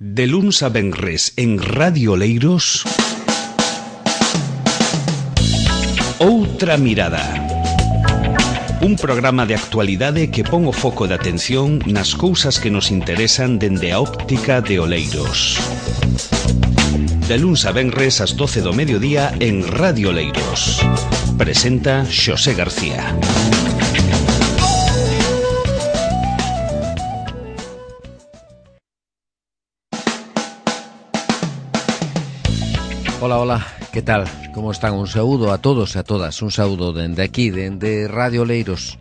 De luns a venres en Radio Oleiros, Outra Mirada. Un programa de actualidade que pon o foco de atención nas cousas que nos interesan dende a óptica de Oleiros. De luns a venres ás 12 do mediodía en Radio Oleiros. Presenta Xosé García. Hola, hola, que tal? Como están? Un saúdo a todos e a todas. Un saúdo dende aquí, dende Radio Oleiros.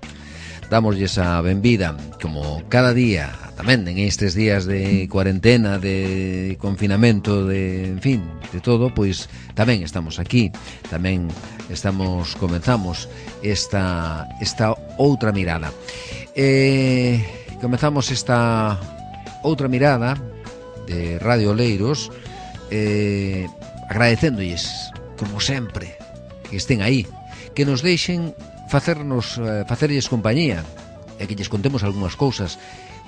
Damoslle a benvida, como cada día, tamén en estes días de cuarentena, de confinamento, de, en fin, de todo, pois tamén estamos aquí. Tamén comenzamos esta outra mirada. Comenzamos esta outra mirada de Radio Oleiros, agradecéndolles, como sempre, que estén aí, que nos deixen facerlles compañía e que lles contemos algunhas cousas.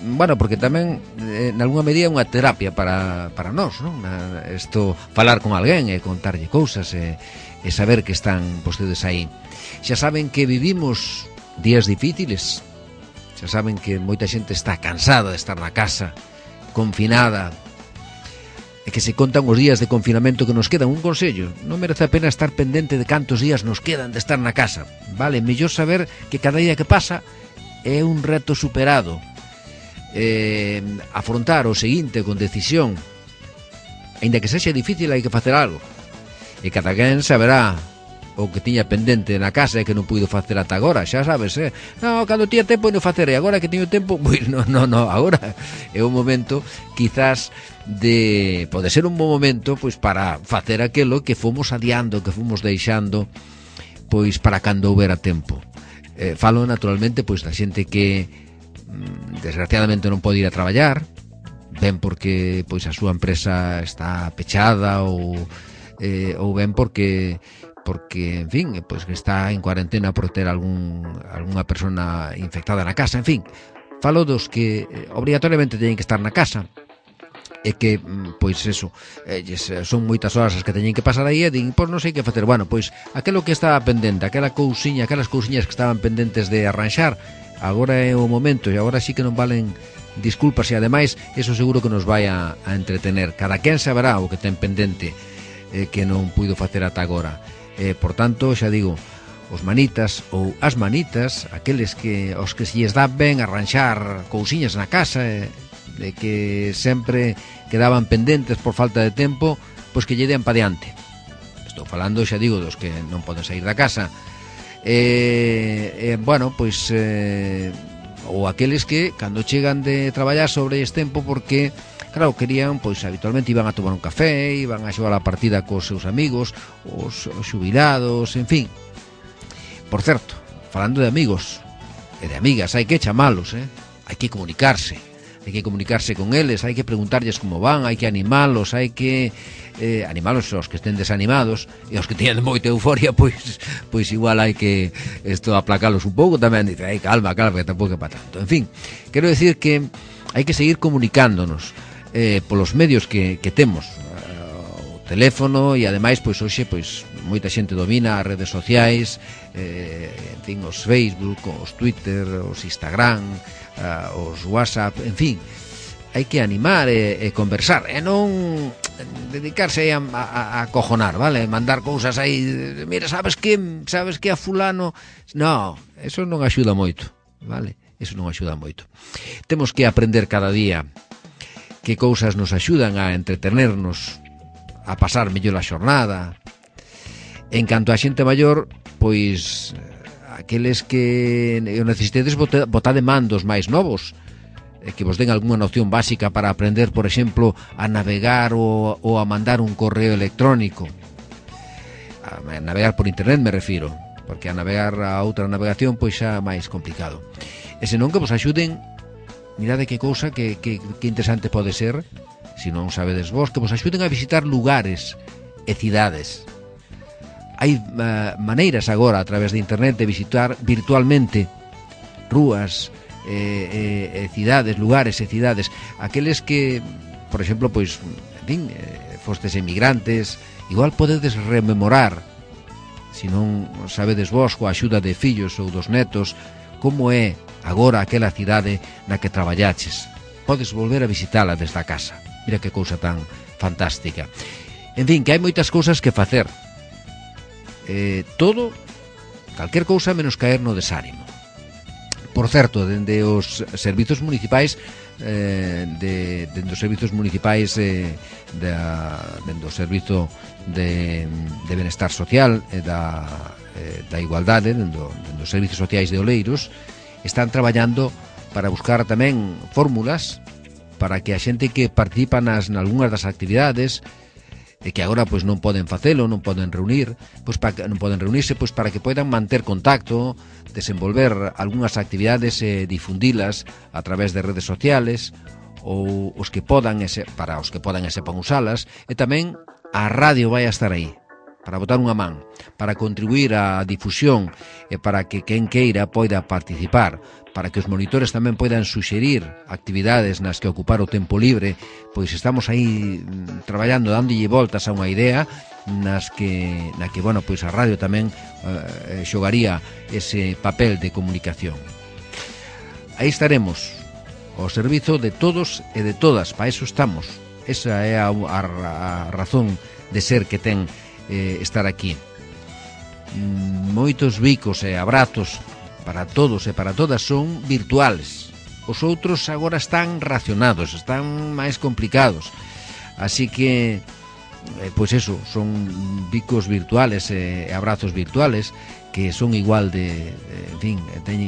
Bueno, porque tamén, en algunha medida, é unha terapia para nós, non? Isto, falar con alguén e contarlle cousas e saber que están vostedes aí. Xa saben que vivimos días difíciles, xa saben que moita xente está cansada de estar na casa, confinada, e que se contan os días de confinamento que nos quedan. Un consello: non merece a pena estar pendente de cantos días nos quedan de estar na casa, vale? Mellor saber que cada día que pasa é un reto superado, afrontar o seguinte con decisión, aínda que sexa difícil, hai que facer algo, e cada quen saberá o que tiña pendente na casa e que non puido facer ata agora, xa sabes, non, cando tiña tempo non facer, e agora que teño tempo, pois non, agora é un momento, quizás, pode ser un bon momento, pois, para facer aquilo que fomos adiando, que fomos deixando, pois, para cando houbera tempo. Falo, naturalmente, pois, da xente que desgraciadamente non pode ir a traballar, ben porque, pois, a súa empresa está pechada ou ben porque, en fin, pois que está en cuarentena por ter algunha persona infectada na casa, en fin. Falo dos que obrigatoriamente teñen que estar na casa e que, pois eso, son moitas horas as que teñen que pasar aí e din, pois non sei que facer. Bueno, pois aquilo que estaba pendente, aquelas cousiñas que estaban pendentes de arranxar, agora é o momento, e agora sí que non valen disculpas, e ademais eso seguro que nos vai a entretener. Cada quen saberá o que ten pendente que non puido facer ata agora. Por tanto, xa digo, os manitas ou as manitas, aqueles que os que se lles dá ben arranxar cousiñas na casa, de que sempre quedaban pendentes por falta de tempo, pois que lle den pa diante. Estou falando, xa digo, dos que non poden sair da casa. Bueno, pois ou aqueles que cando chegan de traballar sobre este tempo, porque claro, querían, pois habitualmente iban a tomar un café, iban a xogar a partida cos seus amigos, os xubilados, en fin. Por certo, falando de amigos e de amigas, hai que chamalos, hai que comunicarse con eles, hai que preguntarlles como van, hai que animalos, hai que animalos aos que estén desanimados, e aos que teñen moita euforia, pois igual hai que aplacalos un pouco tamén, dice, calma, que tampouco é para tanto. En fin, quero decir que hai que seguir comunicándonos polos medios que temos, o teléfono, e ademais, pois hoxe, pois moita xente domina as redes sociais, en fin, os Facebook, os Twitter, os Instagram, os WhatsApp, en fin, hai que animar e conversar, e non dedicarse a acojonar, vale? Mandar cousas aí, mira, sabes que a fulano, no, eso non axuda moito, vale? Eso non axuda moito. Temos que aprender cada día que cousas nos axudan a entretenernos, a pasar mellor a xornada. En canto a xente maior, pois aqueles que necesitedes botade mandos máis novos, que vos den algunha noción básica para aprender, por exemplo, a navegar ou a mandar un correo electrónico. A navegar por internet me refiro, porque a navegar a outra navegación pois xa máis complicado. E senón que vos axuden, mirade que cousa que interesante pode ser, se non sabedes vos, que vos axuden a visitar lugares e cidades. Hai maneiras agora a través de internet de visitar virtualmente rúas, cidades, lugares e cidades, aqueles que por exemplo, pois, en fin, fostes emigrantes, igual podedes rememorar, se non sabedes vos, coa axuda de fillos ou dos netos, como é agora aquela cidade na que traballaches. Podes volver a visitala desde a casa. Mira que cousa tan fantástica. En fin, que hai moitas cousas que facer. Todo, calquer cousa menos caer no desánimo. Por certo, dende os servizos municipais dende os servizos municipais dende o servizo de benestar social e da igualdade, dende os servizos sociais de Oleiros, están traballando para buscar tamén fórmulas para que a xente que participa nalgunhas das actividades e que agora pois non poden facelo, non poden reunirse, pois para que poidan manter contacto, desenvolver algunhas actividades e difundilas a través de redes sociales, ou os que podan para os que podan e sepan usalas, e tamén a radio vai a estar aí para botar unha man, para contribuir á difusión e para que quen queira poida participar, para que os monitores tamén poidan suxerir actividades nas que ocupar o tempo libre, pois estamos aí traballando, dándolle voltas a unha idea na que, bueno, pois a radio tamén xogaría ese papel de comunicación. Aí estaremos, ao servizo de todos e de todas, para eso estamos. Esa é a razón de ser que ten estar aquí. Moitos bicos e abrazos para todos e para todas son virtuales. Os outros agora están racionados, están máis complicados. Así que, pois eso, son bicos virtuales e abrazos virtuales que son igual de, en fin,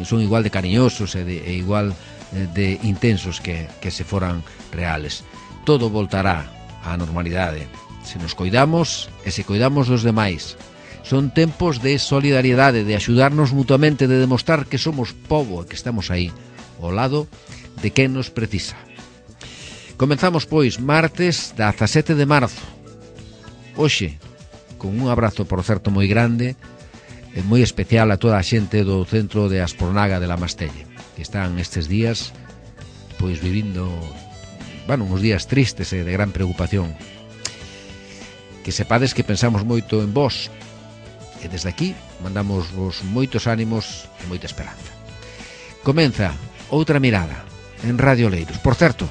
son igual de cariñosos e igual de intensos que se foran reales. Todo voltará á normalidade se nos coidamos e se coidamos dos demais. Son tempos de solidariedade, de axudarnos mutuamente, de demostrar que somos pobo e que estamos aí, ao lado de quen nos precisa. Comenzamos, pois, martes 17 de marzo. Hoxe, con un abrazo, por certo, moi grande e moi especial a toda a xente do centro de Aspornaga de la Mastelle, que están estes días, pois, vivindo, bueno, uns días tristes e de gran preocupación. Que sepades que pensamos moito en vos, e desde aquí mandamos vos moitos ánimos e moita esperanza. Comeza Outra Mirada en Radio Oleiros. Por certo,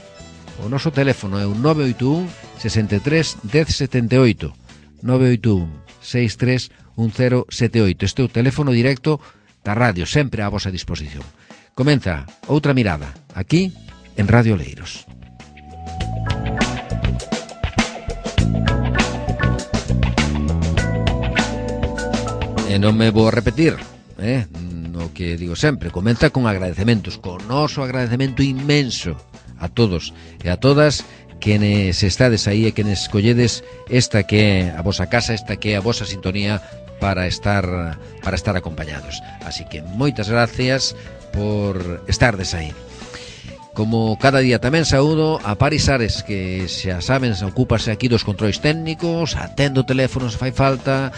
o noso teléfono é o 981 63 1078, 981 63 1078. Este é o teléfono directo da radio, sempre á vosa disposición. Comeza Outra Mirada aquí en Radio Oleiros. E non me vou a repetir, no que digo sempre, comenta con agradecementos, con noso agradecemento inmenso a todos e a todas quenes estades aí e quenes escolledes esta que é a vosa casa, esta que é a vosa sintonía para estar acompañados. Así que moitas gracias por estardes aí. Como cada día tamén saúdo a Paris Ares, que xa saben, ocúpase aquí dos controis técnicos, atende o teléfono se fai falta,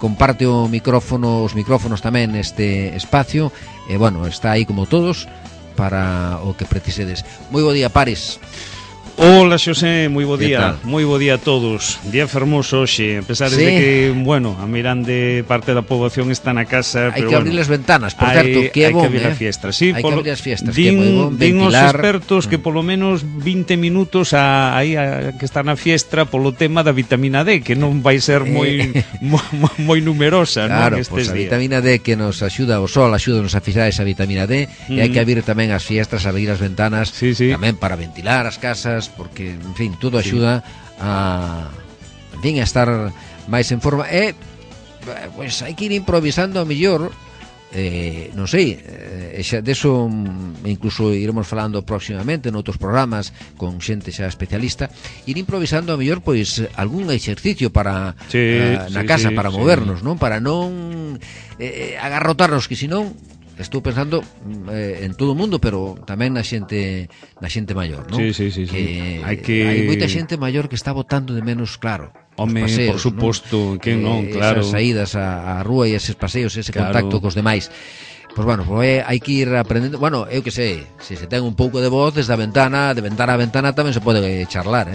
comparte os micrófonos tamén neste espacio, e bueno, está aí como todos para o que precisedes. Moi bo día, Paris. Hola, Xosé, moi bo día. Moi bo día a todos. Día fermoso hoxe, a pesar de que, bueno, a mirande parte da poboación está na casa, hai pero que abrir as ventanas, por certo, que é bon, hai que abrir as fiestas. Sí, hai que abrir as fiestas, que é moi bon ventilar. Din os expertos que polo menos 20 minutos aí que está na fiestra polo tema da vitamina D, que non vai ser moi numerosa, claro, non, estes a días. Vitamina D que nos axuda, o sol axúdanos a fixar esa vitamina D, e hai que abrir tamén as fiestras, abrir as ventanas, tamén para ventilar as casas, porque, en fin, todo axuda a, en fin, a estar máis en forma. E, pois, hai que ir improvisando a mellor, non sei, xa deso incluso iremos falando próximamente noutros programas con xente xa especialista, ir improvisando a mellor, pois, algún exercicio para na casa, para movernos, non? Para non agarrotarnos, que senón estou pensando en todo o mundo, pero tamén na xente maior, non? Sí. Hai moita xente maior que está botando de menos, claro, home, paseos, por suposto, non? que non, claro. Esas saídas á rúa e eses paseos, ese contacto cos demais. Pois bueno, hai que ir aprendendo. Bueno, eu que sei, se ten un pouco de voz desde a ventana, de ventana a ventana tamén se pode charlar,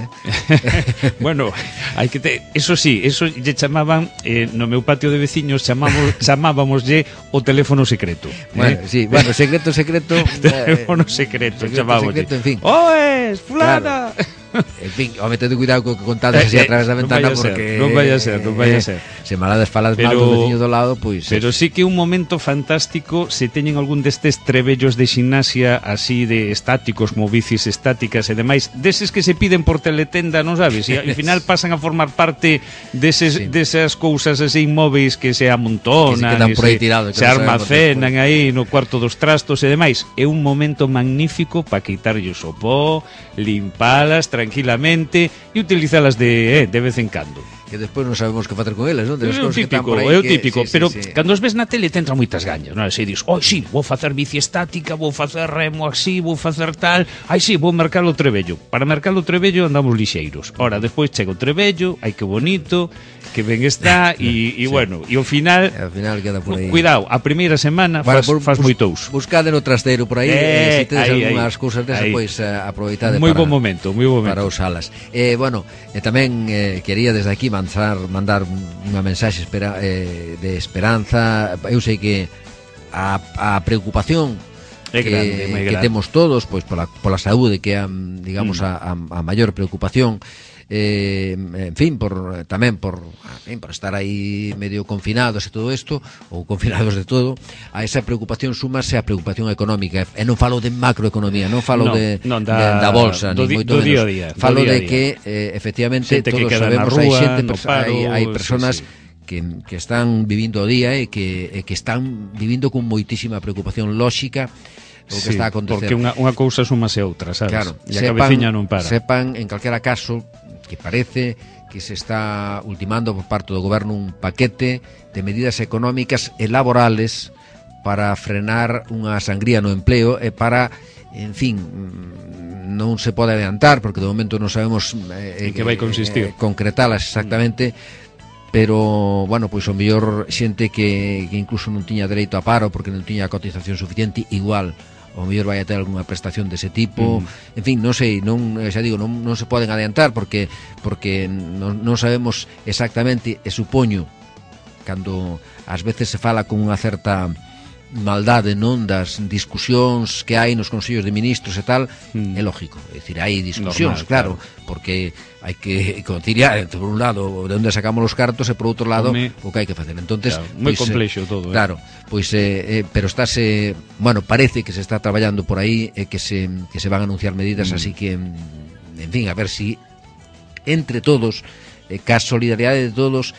Bueno, hai que eso sí, eso lle chamaban no meu patio de veciños chamábamoslle o teléfono secreto. Bueno, sí, bueno, secreto teléfono secreto, chamábamoslle. En fin. Oes, fulana. Claro. En fin, home, tedo cuidado co que contades así a través da ventana porque non vaya a ser. Se malades falas mal do veciño do lado, pois pero sí que un momento fantástico se teñen algún destes trebellos de ximnasia así de estáticos, como bicis estáticas e demais, deses que se piden por teletenda, non sabes? E ao final pasan a formar parte desas cousas así inmóveis que se amontonan, se almacenan aí no cuarto dos trastos e demais. É un momento magnífico para quitarlle o pó, limpalas tranquilamente e utilizalas de vez en cando. Que despois non sabemos que facer con elas, non? É o típico, pero cando os ves na tele te entran moitas gañas, non? Se dis, sí, vou facer bici estática, vou facer remo así, vou facer tal, sí, vou mercar o Trebello. Para mercar o Trebello andamos lixeiros. Ora, despois chega o Trebello, que bonito, que ben está, e bueno, e ao final queda por aí. Cuidado, a primeira semana faz moitous. Buscade no trasteiro por aí, se tedes algunhas cousas desas, pois aproveitade moi bon momento para usalas. Bueno, tamén quería desde aquí mandar unha mensaxe de esperanza. Eu sei que a preocupación que temos todos pois pola saúde, que é digamos a maior preocupación, en fin, por estar aí medio confinados e todo isto, ou confinados de todo, a esa preocupación súmase a preocupación económica, e non falo de macroeconomía, non falo da bolsa, ni moito menos, falo de que efectivamente todos sabemos, hai persoas que están vivindo o día e que están vivindo con moitísima preocupación lóxica o que está a acontecer. Porque unha cousa súmase a outra, sabes? Claro, e a cabeciña non para. Sepan, en calquera caso, que parece que se está ultimando por parte do goberno un paquete de medidas económicas e laborales para frenar unha sangría no empleo e para, en fin, non se pode adiantar porque de momento non sabemos en que vai consistir, concretalas exactamente, pero, bueno, pois o mellor xente que incluso non tiña dereito a paro porque non tiña cotización suficiente, igual o mellor vai a ter algunha prestación dese tipo. En fin, non sei, xa digo, non se poden adiantar porque non sabemos exactamente, e supoño cando ás veces se fala con unha certa maldade, non, das discusións que hai nos consellos de ministros e tal, é lógico, é dicir, hai discusións, claro, porque hai que conciliar, por un lado, de onde sacamos os cartos e por outro lado o que hai que facer. Entonces, moi complexo todo, claro, pois pero estáse, bueno, parece que se está traballando por aí e que se van a anunciar medidas, así que en fin, a ver si entre todos, ca solidaridade de todos,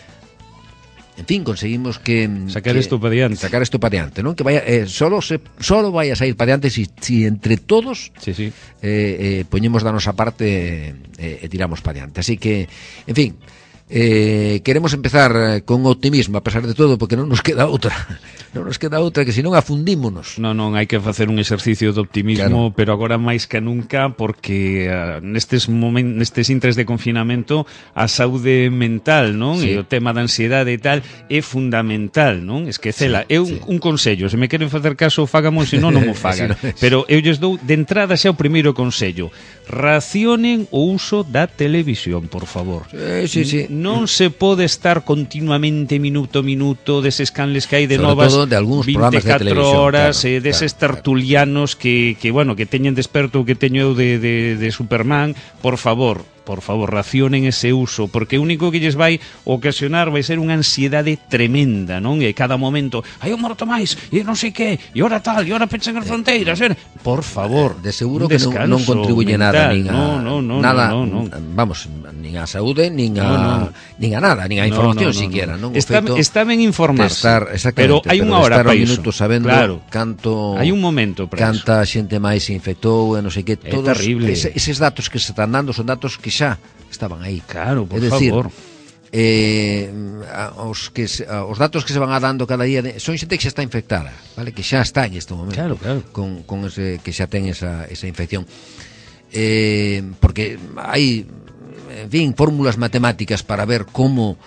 en fin, conseguimos que sacar isto para diante, non? Que vaya solo vai a sair para diante si entre todos poñemos da nosa parte e tiramos para diante. Así que, en fin, queremos empezar con optimismo a pesar de todo, porque non nos queda outra que senón afundímonos. Non, hai que facer un exercicio de optimismo, claro. Pero agora máis que nunca, porque nestes intres de confinamento a saúde mental, non? E o tema da ansiedade e tal é fundamental, non? Esquecela. Un consello, se me queren facer caso, fagamos, se non mo fagan. Pero eu lles dou de entrada xa o primeiro consello: racionen o uso da televisión, por favor. Sí. Non se pode estar continuamente minuto a minuto deses canles que hai de sobre novas todo de algúns 24 horas, deses tertulianos que teñen desperto o que teño eu de Superman. Por favor, racionen ese uso, porque o único que lles vai ocasionar vai ser unha ansiedade tremenda, non? E cada momento, hai un morto máis, e non sei que, e ora tal, e ora pechan as fronteiras, por favor. De seguro que non contribuye nada, nada, vamos, nin a saúde, nin a nada, nin a información siquiera, non? Está ben informarse, pero hai unha hora para iso. Sabendo canto hai un momento para canta xente máis se infectou, e non sei que, todos eses datos que se están dando son datos que xa estaban aí. Claro, por favor. Os datos que se van dando cada día son xente que xa está infectada, vale? Que xa está en este momento, claro. Con ese, que xa ten esa infección, porque hai, en fin, fórmulas matemáticas para ver como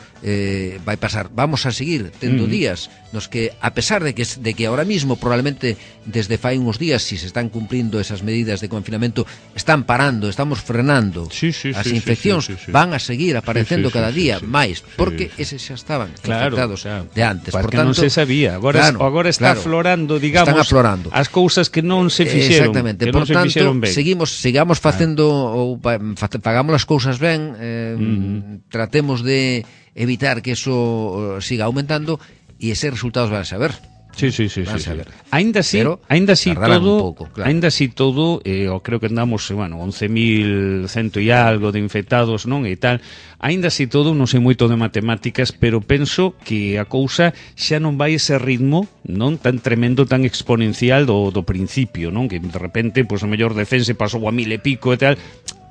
vai pasar. Vamos a seguir tendo días nos que, a pesar de que ahora mismo probablemente desde fai uns días, si se están cumplindo esas medidas de confinamento, están parando, estamos frenando as infeccións, van a seguir aparecendo cada día máis, porque eses xa estaban infectados de antes. Porque non se sabía, agora está aflorando, digamos, están aflorando as cousas que non se fixeron. Exactamente, por tanto, sigamos facendo ou pagamos as cousas ben, tratemos de evitar que eso siga aumentando e eses resultados van a saber. Sí. Ainda así todo, eu creo que andamos, 11.100 e algo de infectados, non, e tal. Ainda así todo, non sei moito de matemáticas, pero penso que a cousa xa non vai ese ritmo, non tan tremendo, tan exponencial do principio, non? Que de repente, pois o mellor defense pasou a 1000 e pico e tal.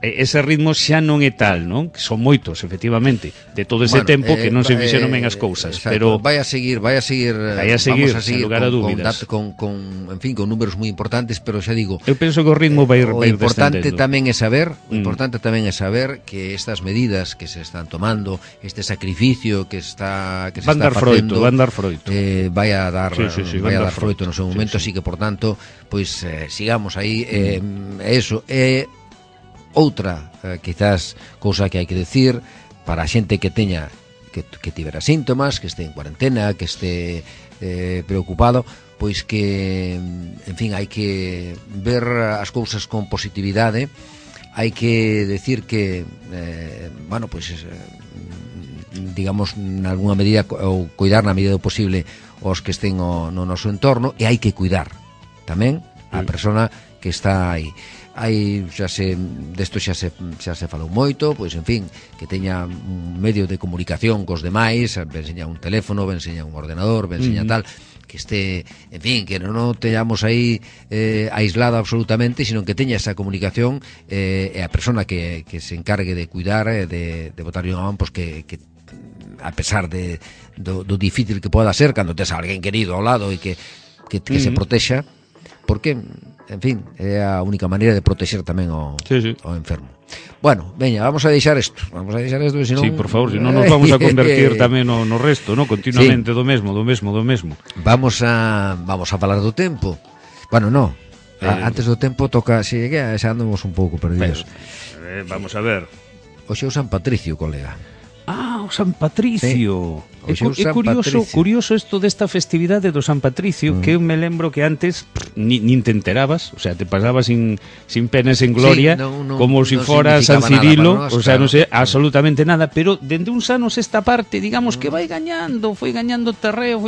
Ese ritmo xa non é tal, non? Que son moitos, efectivamente, de todo ese tempo que non se fixeron ben as cousas, pero vai a seguir, vamos a seguir sen lugar a dúbidas. Con números moi importantes, pero xa digo, eu penso que o ritmo vai o importante descendendo. tamén é saber que estas medidas que se están tomando, este sacrificio que se está facendo, van dar froito. Vai a dar froito no seu momento, así que por tanto, pois sigamos aí, eso outra, quizás, cousa que hai que decir para a xente que teña que tivera síntomas, que este en cuarentena, que este preocupado, pois que, en fin, hai que ver as cousas con positividade, hai que decir que, digamos, nalgúna medida, ou cuidar na medida do posible os que estén no noso entorno, e hai que cuidar tamén a persona que está aí. Desto xa se falou moito, pois, en fin, que teña un medio de comunicación cos demais, ben seña un teléfono, ben seña un ordenador, ben seña tal, que este, en fin, que non teñamos aí aislado absolutamente, sino que teña esa comunicación, e a persona que se encargue de cuidar, de botarlle unha man, pois que a pesar do difícil que poda ser cando tes a alguén querido ao lado e que se protexa, porque, en fin, é a única maneira de protexer tamén ao enfermo. Bueno, veña, vamos a deixar isto, senón... Sí, por favor, senón nos vamos a convertir tamén no resto, no, continuamente do mesmo. Vamos a falar do tempo. Bueno, no, antes do tempo toca, xa andamos un pouco perdidos. Vamos a ver. Hoxe é o San Patricio, colega. O San Patricio. É curioso isto desta festividade do San Patricio, que eu me lembro que antes nin te enterabas, o sea, te pasabas sin pena e sin gloria, como se fora San Cirilo, o sea, non sei absolutamente nada, pero dende uns anos esta parte, digamos que foi gañando terreo,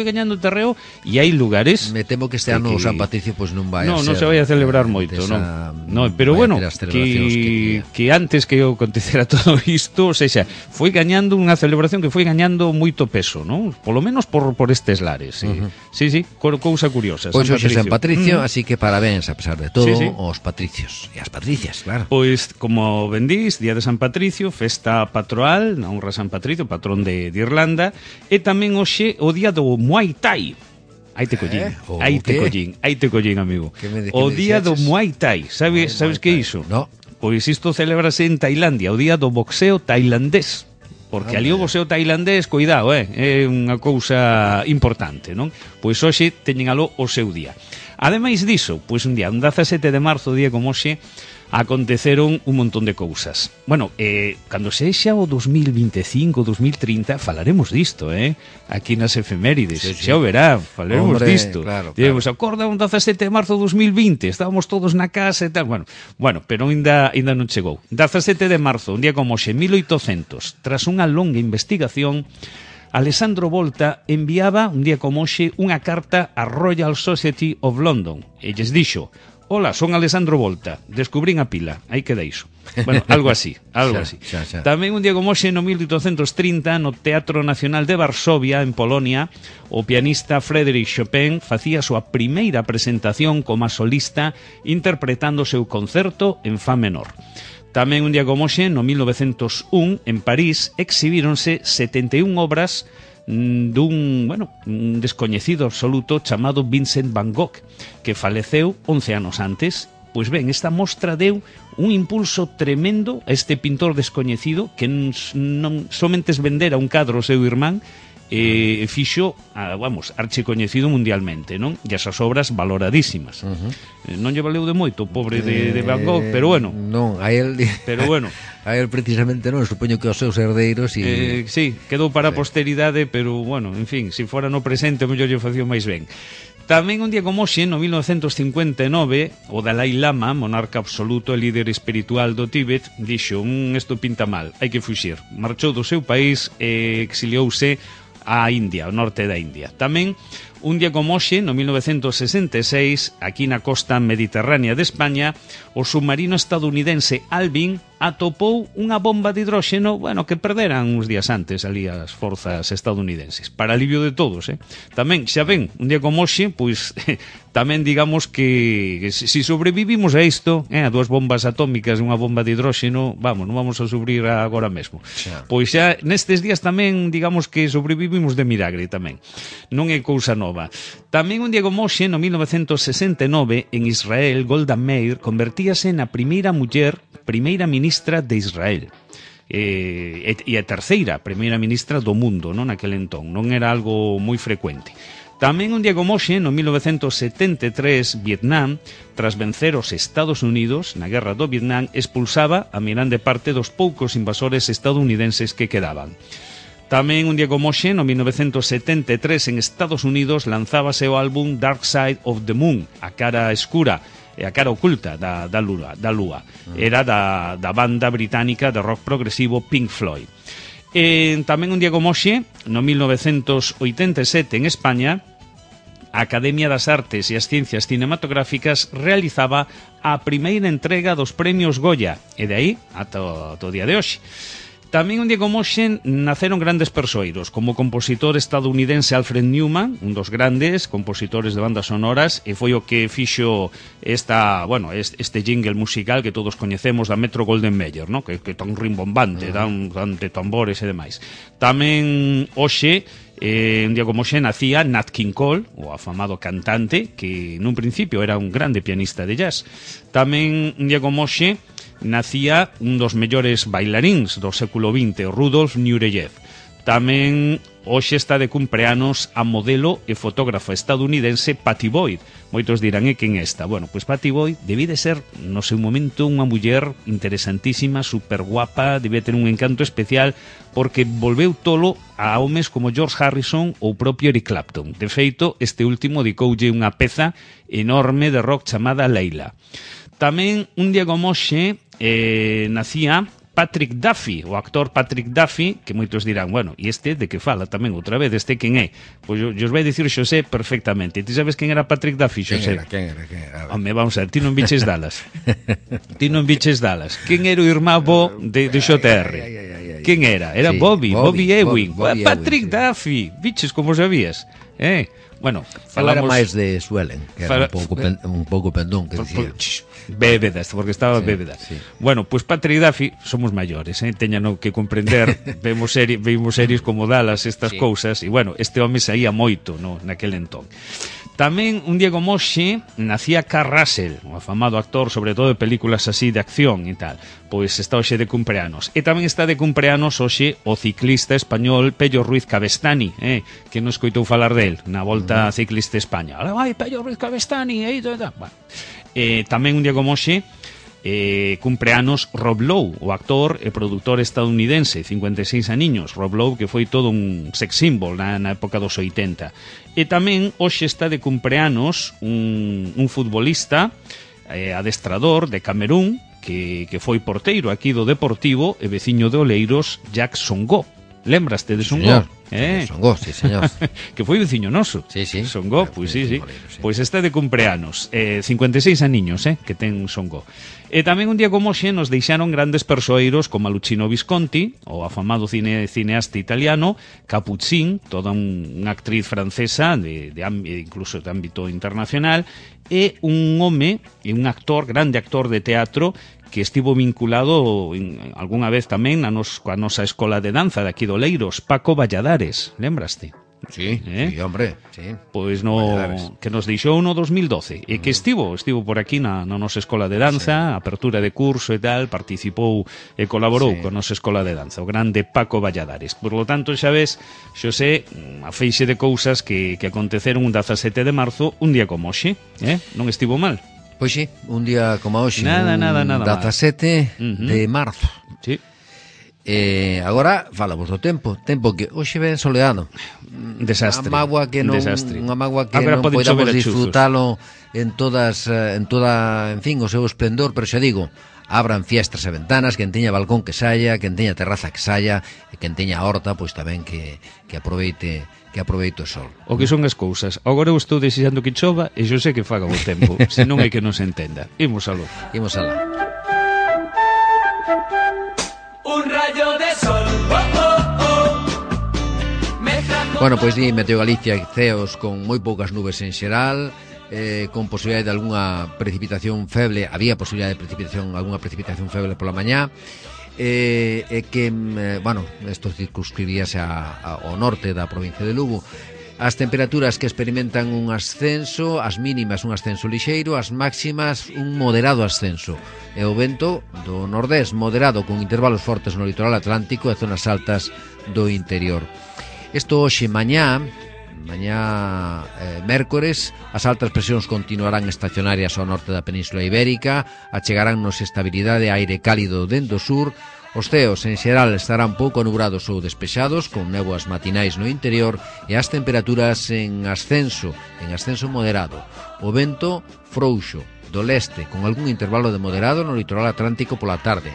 e hai lugares... Me temo que este ano o San Patricio pois non vai a ser... Non se vai a celebrar moito, non, pero bueno, que antes que acontecera todo isto, ou seja, foi gañando unha celebración que foi gañando moito peso, non? Polo menos por estes lares. Sí, cousa curiosa. Pois hoxe San Patricio, así que parabéns a pesar de todo aos patricios e as patricias, claro. Pois, como ben dís, Día de San Patricio, festa patroal, na honra a San Patricio, patrón de Irlanda, e tamén hoxe o día do Muay Thai. Aí te collín, amigo. O día do Muay Thai. Sabes que é iso? No. Pois isto celébrase en Tailandia, o día do boxeo tailandés. Porque ali o boxeo tailandés, cuidado, é unha cousa importante, non? Pois hoxe teñen aló o seu día. Ademais diso, pois un 17 de marzo, día como hoxe, aconteceron un montón de cousas. Bueno, cando sexa o 2025, 2030, falaremos disto, aquí nas efemérides. Xa o verá, falaremos disto. Claro. Diremos, acorda un 17 de marzo de 2020, estábamos todos na casa e tal. Bueno, pero ainda non chegou. 17 de marzo, un día como hoxe, 1800, tras unha longa investigación, Alessandro Volta enviaba, un día como hoxe, unha carta á Royal Society of London. E lles dixo: hola, son Alessandro Volta, descubrín a pila, aí queda iso. Bueno, algo así. Xa. Tamén un día como hoxe, no 1830, no Teatro Nacional de Varsovia, en Polonia, o pianista Frédéric Chopin facía a súa primeira presentación como solista interpretando o seu concerto en fa menor. Tamén un día como hoxe, no 1901, en París, exhibíronse 71 obras dun descoñecido absoluto chamado Vincent Van Gogh, que faleceu 11 anos antes. Pois ben, esta mostra deu un impulso tremendo a este pintor descoñecido que non somente vendera un cadro ao seu irmán, fixo, archicoñecido mundialmente, non? E esas obras valoradísimas. Non lle valeu de moito o pobre de Van Gogh, pero bueno. Non, a él a él precisamente non, supoño que os seus herdeiros sí, quedou para a posteridade, pero bueno, en fin, se fora no presente o mellor lle facía máis ben. Tamén un día como hoxe, no 1959, o Dalai Lama, monarca absoluto e líder espiritual do Tíbet, dixo, isto pinta mal, hai que fuxir. Marchou do seu país e exiliouse a India, ao norte da India. Tamén, un día como hoxe, no 1966, aquí na costa mediterránea de España, o submarino estadounidense Alvin atopou unha bomba de hidróxeno, que perderan uns días antes ali as forzas estadounidenses, para alivio de todos, Tamén, xa ven, un día como hoxe, pois tamén digamos que se sobrevivimos a isto, a dúas bombas atómicas e unha bomba de hidróxeno, non vamos a sufrir agora mesmo. Pois xa nestes días tamén, digamos que sobrevivimos de milagre tamén. Non é cousa nova. Tamén un día como hoxe, no 1969, en Israel, Golda Meir convertíase na primeira ministra de Israel. E a terceira primeira ministra do mundo, non naquele entón, non era algo moi frecuente. Tamén un día como hoxe, no 1973, Vietnam, tras vencer os Estados Unidos na guerra do Vietnam, expulsaba a grande parte dos poucos invasores estadounidenses que quedaban. Tamén un día como hoxe, no 1973, en Estados Unidos, lanzábase o álbum Dark Side of the Moon, a cara escura, a cara oculta da Lúa. Era da banda británica de rock progresivo Pink Floyd. Tamén un día como hoxe, no 1987, en España, a Academia das Artes e as Ciencias Cinematográficas realizaba a primeira entrega dos premios Goya, e de aí ata o día de hoxe. Tamén un día como hoxe naceron grandes persoeiros, como o compositor estadounidense Alfred Newman, un dos grandes compositores de bandas sonoras, e foi o que fixo este jingle musical que todos coñecemos da Metro Golden Mayer, ¿no? que tan rimbombante, dan de tambores e demais. Tamén hoxe, un día como hoxe, nacía Nat King Cole, o afamado cantante, que nun principio era un grande pianista de jazz. Tamén un día como hoxe nacía un dos mellores bailaríns do século XX, Rudolf Nureyev. Tamén hoxe está de cumpleanos a modelo e fotógrafa estadounidense Patty Boyd. Moitos dirán, quen é esta? Pois Patty Boyd debía de ser, no seu momento, unha muller interesantísima, super guapa, debía ter un encanto especial, porque volveu tolo a homes como George Harrison ou propio Eric Clapton. De feito, este último dedicoulle unha peza enorme de rock chamada Leila. Tamén, un día como hoxe, nacía Patrick Duffy, o actor Patrick Duffy, que moitos dirán, e este de que fala tamén outra vez, este quen é? Pois eu os vai dicir Xosé perfectamente. Ti sabes quen era Patrick Duffy, Xosé? Quen era? Home, vamos a ver, ti non biches Dallas. Quen era o irmán bo de XR? Quen era? Era Bobby Ewing. Patrick Duffy, biches como sabías? Falamos... Era máis de Suelen, que era un pouco pendón, que dicía. Bébeda, porque estaba bébeda. Sí. Pois Patrick Duffy, somos maiores, teñano que comprender, vimos series como Dallas, estas cousas, e este home saía moito naquel entón. Tamén, un día como hoxe, nacía Kurt Russell, o afamado actor, sobre todo de películas así de acción e tal. Pois está hoxe de cumpleanos. E tamén está de cumpleanos hoxe o ciclista español Pello Ruiz Cabestany, que non escoitou falar del na Volta Ciclista España. Vai, Pello Ruiz Cabestany, tamén un día como hoxe, cumpleanos Rob Lowe, o actor e produtor estadounidense, 56 aniños. Rob Lowe, que foi todo un sex symbol na época dos 80. E tamén hoxe está de cumpleanos un futbolista, adestrador de Camerún, que foi porteiro aquí do Deportivo e veciño de Oleiros, Jack Songo. Lembraste de Songo? Songo, sí, señor. Que foi veciño noso. Sí. Songo, pois sí. Pois está de cumpleanos. 56 aniños, que ten Songo. E tamén un día como hoxe nos deixaron grandes persoeiros como Luchino Visconti, o afamado cineasta italiano, Capuccin, toda unha actriz francesa, incluso de ámbito internacional, e un home, e un actor, grande actor de teatro, que estivo vinculado algunha vez tamén coa nosa escola de danza de aquí do Oleiros, Paco Valladares, lembraste? Sí, sí, hombre, sí. Pois no, que nos deixou no 2012 e que estivo por aquí na nosa escola de danza, apertura de curso e tal, participou e colaborou con nosa escola de danza, o grande Paco Valladares. Por lo tanto, xa ves, Xosé, a feixe de cousas que aconteceron un 17 de marzo, un día como hoxe, non estivo mal. Pois sí, un día como hoxe, nada 17 de marzo. Sí. Agora falamos do tempo que hoxe ven soleado. Desastre. Unha mágoa que non podamos disfrutalo en fin, o seu esplendor, pero xa digo, abran fiestras e ventanas, quen teña balcón que saia, quen teña terraza que saia, e quen teña horta, pois tamén que aproveite o sol. O que son as cousas. Agora eu estou desexando que chova e eu sei que faga o tempo, se non hai que nos entenda. Imos aló. Un rayo de sol, Bueno, pois di Meteo Galicia ceos con moi poucas nubes en xeral, con posibilidade de algunha precipitación feble, había posibilidade de algunha precipitación feble pola mañá, isto circunscribíase ao norte da provincia de Lugo. As temperaturas que experimentan un ascenso, as mínimas un ascenso lixeiro, as máximas un moderado ascenso. E o vento do nordés moderado con intervalos fortes no litoral atlántico e zonas altas do interior. Isto hoxe mañá mércores, as altas presións continuarán estacionarias ao norte da Península Ibérica, achegaránnos estabilidade e aire cálido dende o sur. Os ceos en xeral estarán pouco nubrados ou despexados, con néboas matinais no interior e as temperaturas en ascenso moderado. O vento frouxo do leste, con algún intervalo de moderado no litoral atlántico pola tarde.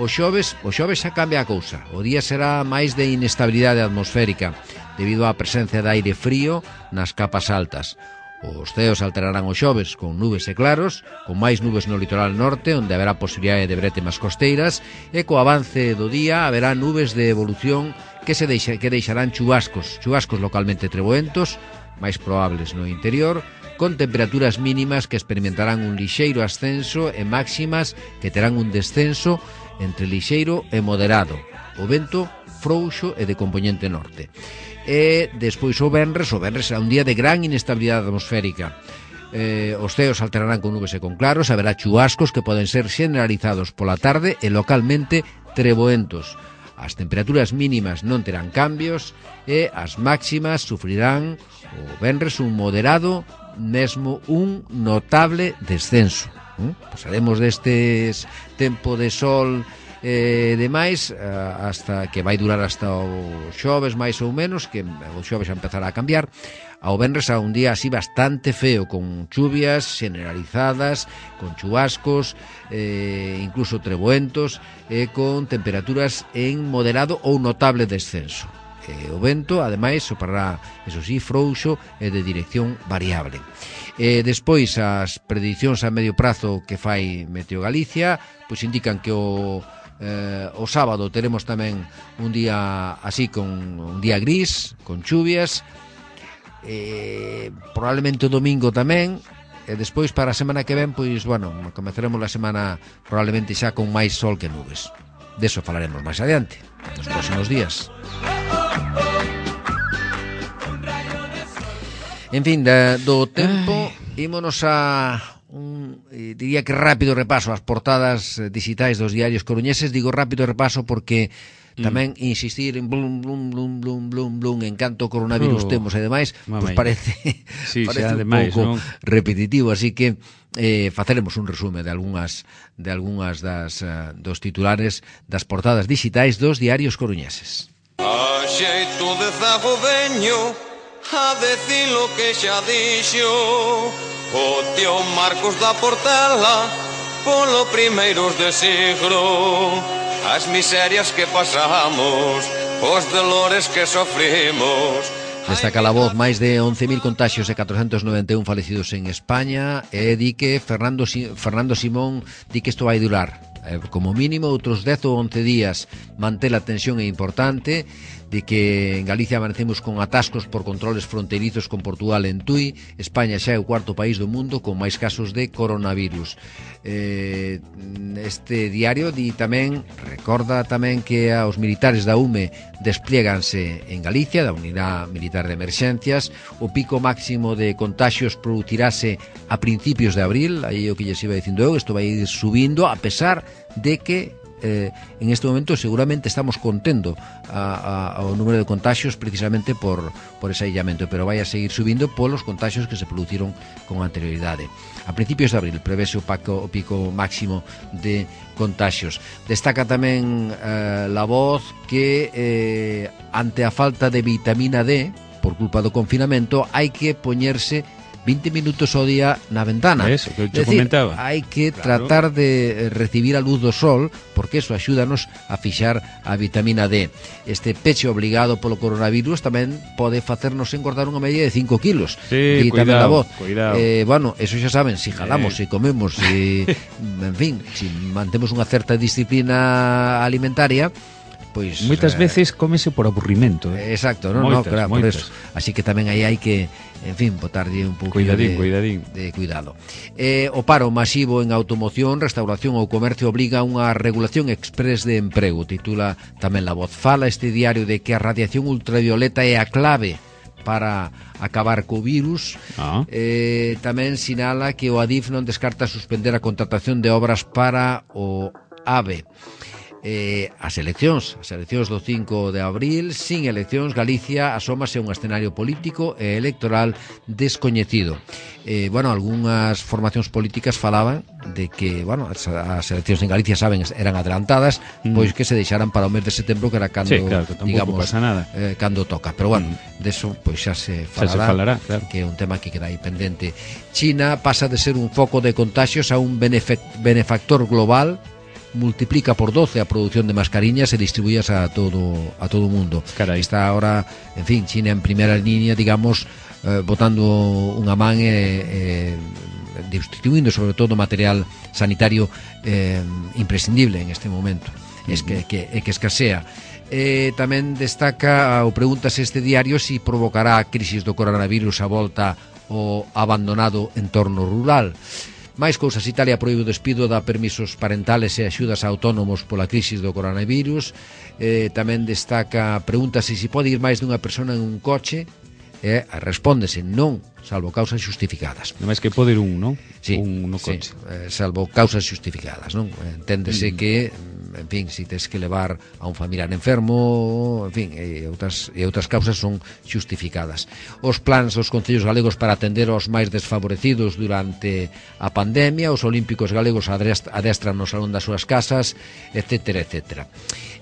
O xoves xa cambia a cousa. O día será máis de inestabilidade atmosférica, debido á presencia de aire frío nas capas altas. Os ceos alterarán o xoves con nubes e claros, con máis nubes no litoral norte, onde haberá posibilidade de brétemas costeiras, e co avance do día haberá nubes de evolución que deixarán chubascos localmente treboentos, máis probables no interior, con temperaturas mínimas que experimentarán un lixeiro ascenso e máximas que terán un descenso entre lixeiro e moderado. O vento frouxo e de compoñente norte. E despois o venres será un día de gran inestabilidade atmosférica. Os ceos alterarán con nubes e con claros, haberá chubascos que poden ser generalizados pola tarde e localmente treboentos. As temperaturas mínimas non terán cambios e as máximas sufrirán o venres un moderado, mesmo un notable descenso. Pasaremos destes tempo de sol demais hasta que vai durar hasta o xoves máis ou menos, que o xoves xa empezará a cambiar. Ao venres a un día así bastante feo, con chuvias generalizadas, con chubascos, incluso treboentos, con temperaturas en moderado ou notable descenso. O vento, ademais, soprará, eso sí, frouxo e de dirección variable. Despois, as predicións a medio prazo que fai Meteo Galicia, pois indican que o sábado teremos tamén un día así, con un día gris, con chuvias, probablemente o domingo tamén, e despois para a semana que ven, pois, bueno, comezaremos a semana probablemente xa con máis sol que nubes. Deso falaremos máis adiante, nos próximos días. En fin, do tempo, ímonos a diría que rápido repaso ás portadas digitais dos diarios coruñeses. Digo rápido repaso porque tamén insistir en blum, blum, blum, blum, blum, blum, en canto coronavirus temos e demais, pois parece un pouco repetitivo, así que faceremos un resume de algunhas dos titulares das portadas digitais dos diarios coruñeses. A xeito de zago veño a decir lo que xa dixo o tío Marcos da Portela polo primeiros de siglo. As miserias que pasamos, os dolores que sofrimos. Destaca a voz máis de 11.000 contaxios e 491 falecidos en España, e di que Fernando Simón di que isto vai durar como mínimo outros 10 ou 11 días. Mantén a tensión é importante de que en Galicia amanecemos con atascos por controles fronterizos con Portugal en Tui. España xa é o cuarto país do mundo con máis casos de coronavirus. Este diario di tamén, Recorda tamén que os militares da UME desplieganse en Galicia, da Unidade Militar de Emerxencias. O pico máximo de contaxios producirase a principios de abril, aí o que lles iba dicindo eu, isto vai ir subindo, a pesar de que en este momento seguramente estamos contendo ao número de contaxios precisamente por ese aillamento, pero vai a seguir subindo polos contaxios que se produciron con anterioridade. A principios de abril prevese o pico máximo de contaxios. Destaca tamén La Voz que ante a falta de vitamina D por culpa do confinamento hai que poñerse 20 minutos ao día na ventana. Eso, que eu comentaba. Hai que tratar de recibir a luz do sol, porque eso axúdanos a fixar a vitamina D. Este peche obligado polo coronavirus tamén pode facernos engordar unha media de 5 kilos. Sí, cuidado. Bueno, eso xa saben, si jalamos, si comemos, si, en fin, si mantemos unha certa disciplina alimentaria, pois moitas veces cómese por aburrimento. Exacto, no, claro, por eso. Así que tamén aí hai que, en fin, botarlle un pouco de cuidado. O paro masivo en automoción, restauración ou comercio obliga a unha regulación express de emprego. Titula tamén La Voz. Fala este diario de que a radiación ultravioleta é a clave para acabar co virus. Tamén sinala que o Adif non descarta suspender a contratación de obras para o AVE. As eleccións do 5 de abril, sin eleccións, Galicia asómase a un escenario político e electoral descoñecido. Algunhas formacións políticas falaban de que, as eleccións en Galicia, saben, eran adelantadas, pois que se deixaran para o mes de setembro, que era cando, digamos, cando toca. Pero deso pois xa se falará, claro, que é un tema que queda aí pendente. China pasa de ser un foco de contagios a un benefactor global, multiplica por 12 a produción de mascarillas e distribúyas a todo o mundo. Carai. Está ahora, en fin, China en primeira línea, digamos, botando unha man distribuindo sobre todo material sanitario imprescindible en este momento. Es que escasea. Tamén destaca, ou pregúntase este diario, si provocará a crisis do coronavirus a volta ao abandonado entorno rural. Máis cousas. Italia proíbe o despido, dá permisos parentales e axudas a autónomos pola crisis do coronavirus. Tamén destaca, pregúntase se pode ir máis dunha persona en un coche. Respóndese non, salvo causas justificadas. Non máis que pode ir un, non? Sí, un no coche. Salvo causas justificadas, non? Enténdese que, en fin, se tes que levar a un familiar enfermo, en fin, e outras causas son justificadas. Os plans dos concellos galegos para atender aos máis desfavorecidos durante a pandemia, os olímpicos galegos adestran no salón das súas casas, etcétera, etcétera.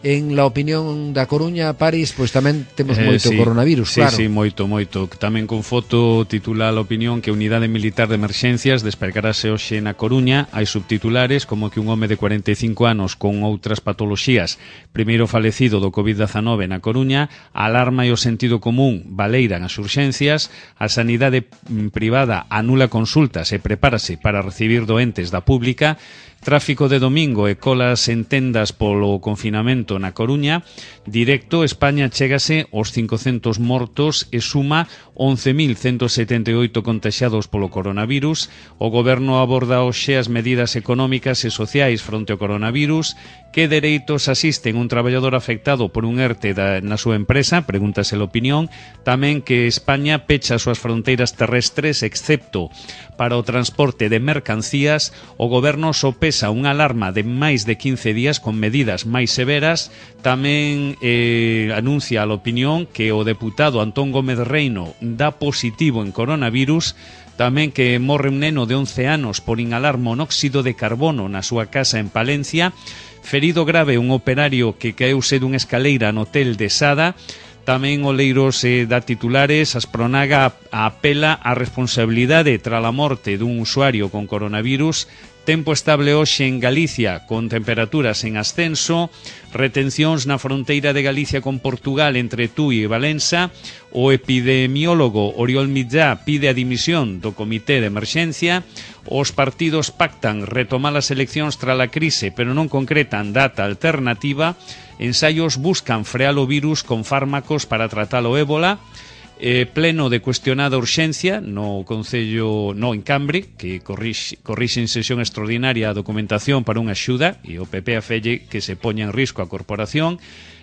En la opinión da Coruña, París, pois tamén temos moito coronavirus, claro. Sí, moito. Tamén con foto titula a opinión que a Unidade Militar de Emerxencias despegarase hoxe na Coruña. Hai subtitulares como que un home de 45 anos con outras patoloxías, primeiro falecido do COVID-19 na Coruña, alarma e o sentido común baleiran as urxencias, a sanidade privada anula consultas e prepárase para recibir doentes da pública. Tráfico de domingo e colas en tendas polo confinamento na Coruña. Directo, España chégase aos 500 mortos e suma 11.178 contaxiados polo coronavirus. O goberno aborda hoxe as medidas económicas e sociais fronte ao coronavirus. Que dereitos asisten un traballador afectado por un ERTE na súa empresa? Pregúntase a opinión. Tamén que España pecha as súas fronteiras terrestres excepto para o transporte de mercancías. O goberno sopesa unha alarma de máis de 15 días con medidas máis severas. Tamén anuncia a opinión que o deputado Antón Gómez Reino dá positivo en coronavirus. Tamén que morre un neno de 11 anos por inhalar monóxido de carbono na súa casa en Palencia. Ferido grave un operario que caeuse dunha escaleira no hotel de Sada. Tamén Oleiros dá titulares, Aspronaga apela á responsabilidade tras a morte dun usuario con coronavirus. Tempo estable hoxe en Galicia con temperaturas en ascenso, retencións na fronteira de Galicia con Portugal entre Tui e Valença. O epidemiólogo Oriol Millá pide a dimisión do Comité de Emerxencia. Os partidos pactan retomar as eleccións tras a crise, pero non concretan data alternativa. Ensaios buscan frear o virus con fármacos para tratar o ébola. pleno de cuestionada urxencia no Concello, en Cambre, que corrixe en sesión extraordinaria a documentación para unha axuda, e o PP afelle que se poña en risco a corporación.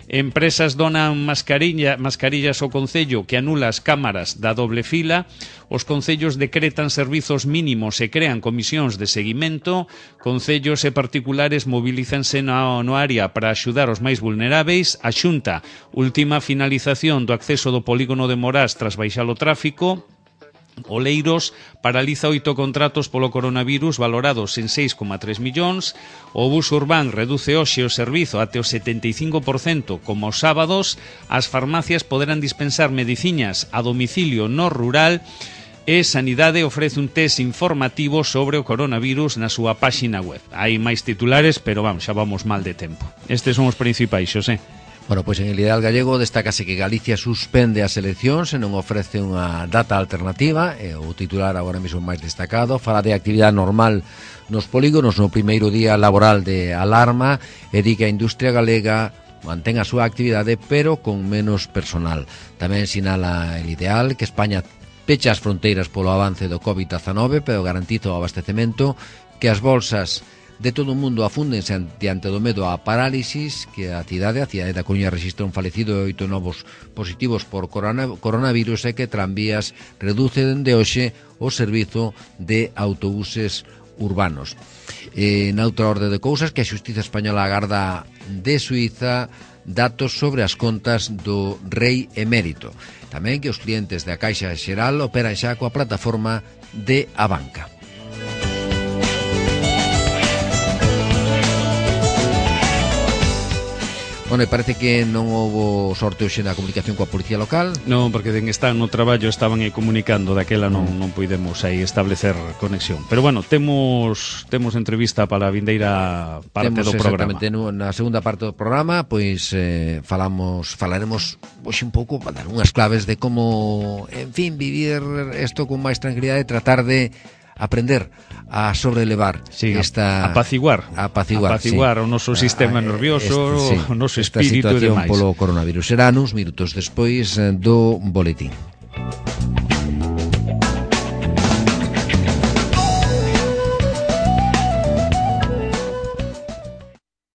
Empresas donan mascarillas ao Concello que anula as cámaras da doble fila. Os concellos decretan servizos mínimos e crean comisións de seguimento. Concellos e particulares mobilízanse no área para axudar os máis vulneráveis. A Xunta última finalización do acceso do polígono de Morás tras baixar o tráfico. Oleiros paraliza 8 contratos polo coronavirus valorados en 6,3 millóns. O bus urbán reduce hoxe o servizo até o 75% como os sábados. As farmacias poderán dispensar mediciñas a domicilio no rural. E Sanidade ofrece un test informativo sobre o coronavirus na súa páxina web. Hai máis titulares, pero xa vamos mal de tempo. Estes son os principais, Xosé. Bueno, pois en el Ideal Gallego destácase que Galicia suspende as eleccións e non ofrece unha data alternativa, e o titular agora mesmo máis destacado fala de actividade normal nos polígonos no primeiro día laboral de alarma e di que a industria galega mantén a súa actividade pero con menos personal. Tamén sinala el Ideal que España pecha as fronteiras polo avance do COVID-19 pero garantiza o abastecemento, que as bolsas de todo o mundo afúndense diante do medo á parálisis, que a cidade da Coruña registra un falecido e 8 novos positivos por coronavirus e que Tranvías reduce dende hoxe o servizo de autobuses urbanos. Noutra orde de cousas, que a Xustiza Española agarda de Suiza datos sobre as contas do rei emérito. Tamén que os clientes da Caixa Xeral operan xa coa plataforma de Abanca. Bueno, parece que non houbo sorte hoxe na comunicación coa Policía Local. Non, porque están no traballo, estaban aí comunicando, daquela non puidemos aí establecer conexión. Pero bueno, temos entrevista para a vindeira parte do programa. Exactamente, na segunda parte do programa, pois falaremos hoxe un pouco, para dar unhas claves de como, en fin, vivir isto con máis tranquilidade e tratar de aprender a sobrelevar apaciguar sí, o noso sistema nervioso, o noso espírito e demais. Esta situación polo coronavirus. Será uns minutos despois do boletín.